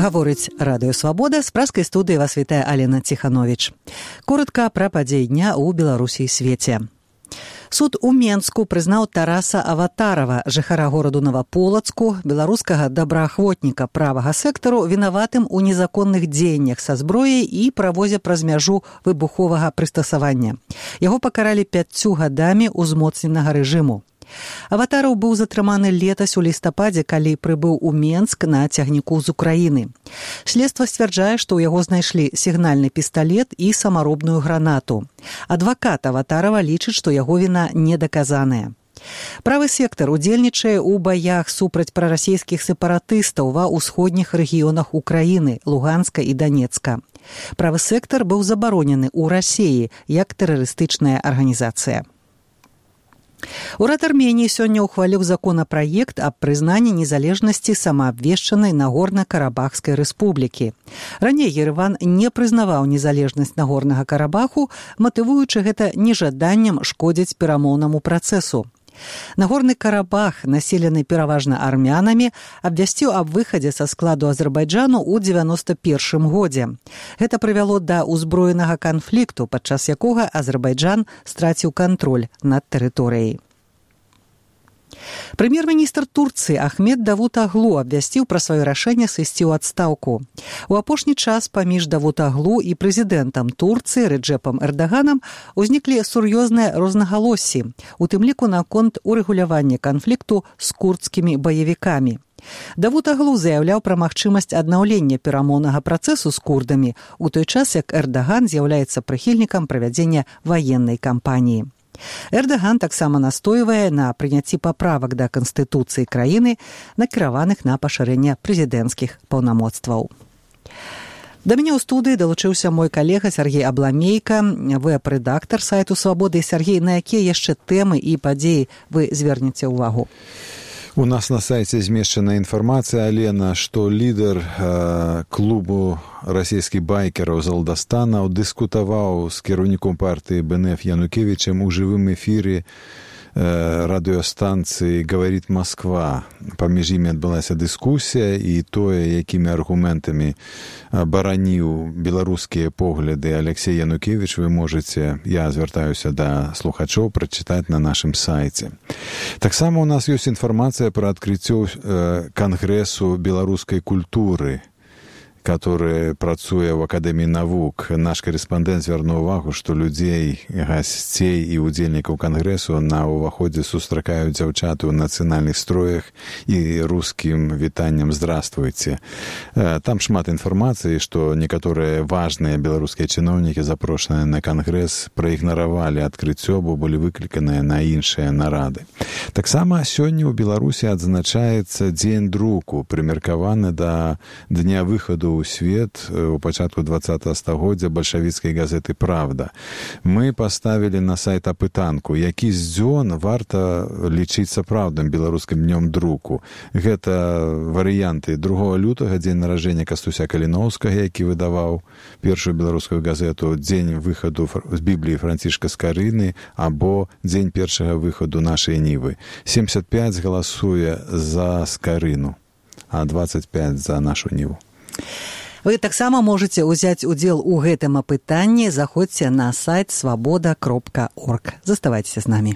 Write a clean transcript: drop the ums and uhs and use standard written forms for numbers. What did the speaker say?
Гаворыць Радыё Свабода, з пражскай студыі вас вітае Алена Ціхановіч. Коротка пра падзеі дня ў Беларусі і свеце. Суд у Менску прызнаў Тараса Аватарова, жыхара гораду Новаполацку, беларускага добраахвотніка правага сектару, вінаватым у незаконных дзеяннях са зброяй і правозе праз мяжу выбуховага прыстасавання. Яго пакаралі 5 гадамі ўзмоцненага рэжыму. Аватараў быў затрыманы летась у лістападзе, калі прыбыў у Менск на цягніку з Украіны. Следства сцвярджае, што ў яго знайшлі сігнальны пісталет і самаробную гранату. Адвакат Аватарова лічыць, што яго віна недаказаная. Правы сектар удзельнічае ў баях супраць прарасійскіх сепаратыстаў ва ўсходніх рэгіёнах Украіны, Луганска і Данецка. Правы сектар быў забаронены ў Расіі як тэрарыстычная арганізацыя. Урад Арменіі сёння ўхваліў законапраект аб прызнанні незалежнасці самаабвешчанай Нагорна-Карабахскай рэспублікі. Раней Ереван не прызнаваў незалежнасць Нагорнага Карабаху, матывуючы гэта нежаданнем шкодзіць перамоўнаму працэсу. Нагорны Карабах, населены пераважна армянамі, абвясціў аб выхадзе са складу Азербайджану ў 91 годзе. Гэта прывяло да ўзброенага канфлікту, падчас якога Азербайджан страціў кантроль над тэрыторыяй. Прэм'ер-міністр Турцыі Ахмед Давутаглу абвясціў пра сваё рашэнне сысці ў адстаўку. У апошні час паміж Давутаглу і прэзідэнтам Турцыі Рэджэпам Эрдаганам узніклі сур'ёзныя рознагалоссі, у тым ліку наконт урэгулявання канфлікту з курдскімі баевікамі. Давутаглу заяўляў пра магчымасць аднаўлення перамоўнага працэсу з курдамі, у той час як Эрдаган з'яўляецца прыхільнікам правядзення ваеннай кампаніі. Эрдаган таксама настойвае на прыняцці паправак да Канстытуцыі краіны, накіраваных на пашырэнне прэзідэнцкіх паўнамоцтваў. Да мяне ў студыі далучыўся мой калега Сергей Абламейка, вэб-рэдактар сайту «Свабоды». Сергей, на якія яшчэ тэмы і падзеі вы звернеце ўвагу? У нас на сайце змешчана інфармацыя, Алена, што лідар клубу расійскіх байкераў з Алдастанаў дыскутаваў з кіраўніком партыі БНФ Янукевічем у жывым эфіры радыёстанцыі «Говорит Москва». Паміж імі адбылася дыскусія, і тое, якімі аргументамі бараніў беларускія погляды Алексей Янукевіч, вы можаце, я звяртаюся да слухачоў, прачытаць на нашым сайце. Таксама у нас ёсць інфармацыя пра адкрыццё кангрэсу беларускай культуры, который працуе в Акадэміі навук. Наш корэспандэнт звярнуў увагу, што людзей, гасцей і удзельнікаў кангрэсу на ўваходзе сустракаюць дзяўчаты ў нацыянальных строях і рускім вітаннем «Здравствуйте». Там шмат інфармацыі, што некаторыя важныя беларускія чыноўнікі, запрошаныя на кангрэс, праігнаравалі адкрыццё, бо былі выкліканыя на іншыя нарады. Таксама сёння ў Беларусі адзначаецца дзень друку, прымеркаваны да дня выхаду ў свет у пачатку 20-го стагоддзя бальшавіцкай газеты «Правда». Мы паставілі на сайт апытанку, які з дзён варта лічыць сапраўдным беларускім днём друку. Гэта варыянты 2 лютага, дзень нараджэння Кастуся Каліноўскага, які выдаваў першую беларускую газету, дзень выхаду з Бібліі Францішка Скарыны або дзень першага выхаду нашай Нівы. 75 галасуе за Скарыну, а 25 за нашу Ніву. Вы таксама можаце ўзяць удзел у гэтым апытанні. Заходзьце на сайт свабода.орг. Заставайцеся з намі.